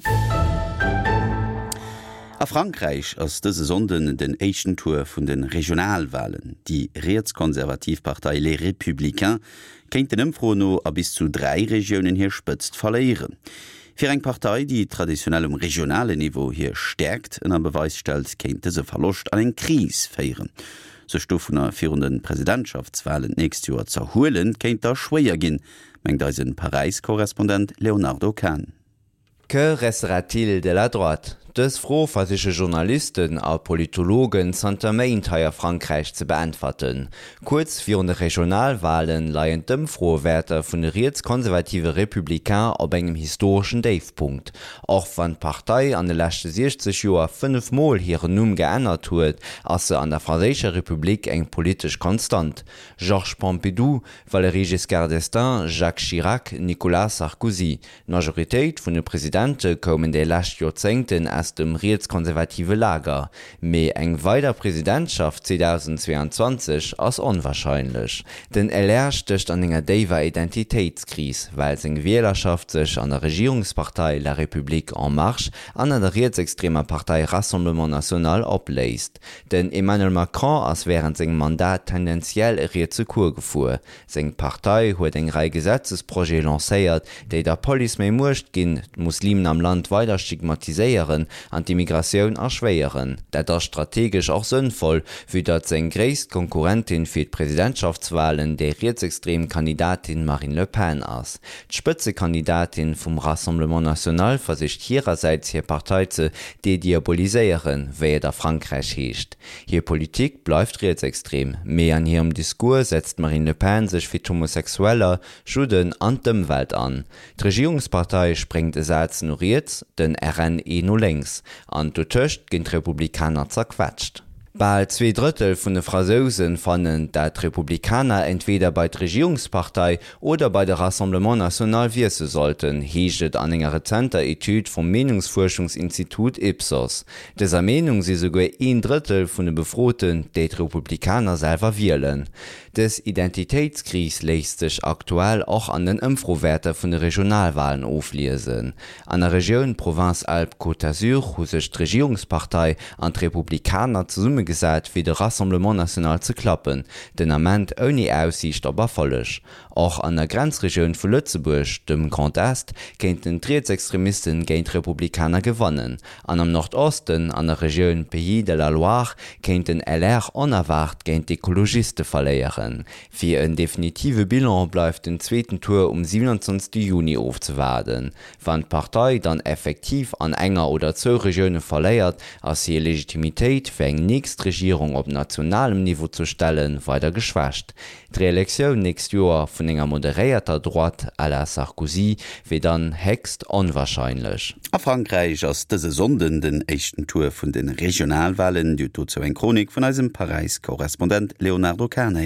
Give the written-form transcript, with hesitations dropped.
Auer. A Frankräich ass dëse Sonnden den éischten Tour vun de Regionalwalen. Déi rietskonservativ Partei Les Républicains kéint den Ëmfroen no a bis zu 3 Regiounen hir Spëtzt verléieren. Fir eng Partei, déi traditionell um regionalen Niveau hir Stäerkt ënner Beweis stellt, kéint dëse Verloscht an eng Kris féieren. Sech dovunner virun de Presidentschaftswalen d'nächst Joer z'erhuelen, kéint da schwéier ginn, mengt eise Paräis-Korrespondent Léonardo Kahn. Que restera-t-il de la droite? Dës Fro versiche Journalisten a Politologen zanter Méint hei a Frankräich ze beäntwerten. Kuerz virun de Regionalwalen leien d'Ëmfroewäerter vun de rietskonservative Républicains op engem historeschen Déifpunkt. Och wann d'Partei an de leschte 60 Joer 5 Mol hiren Numm geännert huet, ass se an der franséischer Republik eng politesch Konstant. Georges Pompidou, Valéry Giscard d'Estaing, Jacques Chirac, Nicolas Sarkozy. D'Majoritéit vun de Presidente koumen déi lescht Joerzéngten aus dem rietskonservative Lager, mee eng weider Presidentschaft 2022 ass onwarscheinlech. Den LR stécht an enger déiwer Identitéitskris, well seng Wielerschaft sech an der Regierungspartei La République En Marche an an der rietsextremer Partei Rassemblement National opléist. Den Emmanuel Macron ass wärend sengem Mandat tendenziell e rietse Cours gefuer. Seng Partei huet eng Rei Gesetzesprojete lancéiert, déi der Police méi Muecht ginn, d'Muslimen am Land weider stigmatiséieren an d'Immigratioun erschwéieren. Dat ass strategesch och sënnvoll, vue datt seng gréisst Konkurrentin fir d'Presidentschaftswalen déi rietsextrem Kandidatin Marine Le Pen ass. D'Spëtzekandidatin vum Rassemblement National versicht hirersäits hir Partei ze dediaboliséieren, wéi et a Frankräich heescht. Hir Politik bleift rietsextrem, mee an hirem Discours setzt d'Marine Le Pen sech fir d'Homosexueller, Judden an d'Ëmwelt an. D'Regierungspartei spréngt e Saz no riets, den RN een no lénks. An dotëscht ginn d'Republikaner zerquetscht. Bal 2 Drëttel vun de Frasouse fannen, dat d'Republikaner entweeder bei d'Regierungspartei oder bei de Rassemblement National wiesse sollten, heescht et an enger rezenter Etüd vum Meenungsfuerschungsinstitut Ipsos. Dëser Meenung si souguer een Drëttel vun de Befroten, déi d'Republikaner selwer wielen. Dës Identitéitskris léisst sech aktuell och an den Ëmfrowäerter vun de Regionalwalen ofliesen. An der Regioun Provence-Alpes-Côte d'Azur hu sech d'Regierungspartei an d'Republikaner zesummegesat fir de Rassemblement National ze klappen, den Ament ouni Aussiicht op Erfolleg. Och an der Grenzregioun vu Lëtzebuerg, dem Grand Est, kéinten d'Rietsextremisten géint d'Republikaner gewannen. An am Nordosten, an der Regioun Pays de la Loire, kéint den LR onerwaart géint d'Ekologiste verléieren. Fir en definitive Bilan bleift den zweeten Tour um 27 Juni ofzewaarden. Wann d'Partei dann effektiv an enger oder zwou Regioune verléiert, ass hir Legitimitéit, fir eng nächst Regierung op nationalem Niveau ze stellen, weider geschwächt. D'Reelektioun nächst Joer vun enger moderéierter Droite à la Sarkozy wier dann héchst onwarscheinlech. A Frankräich ass dëse Sonnden den éischten Tour vun de Regionalwalen. Dir hutt dozou eng Chronik vun eisem Paräis-Korrespondent Léonardo Kahn héieren.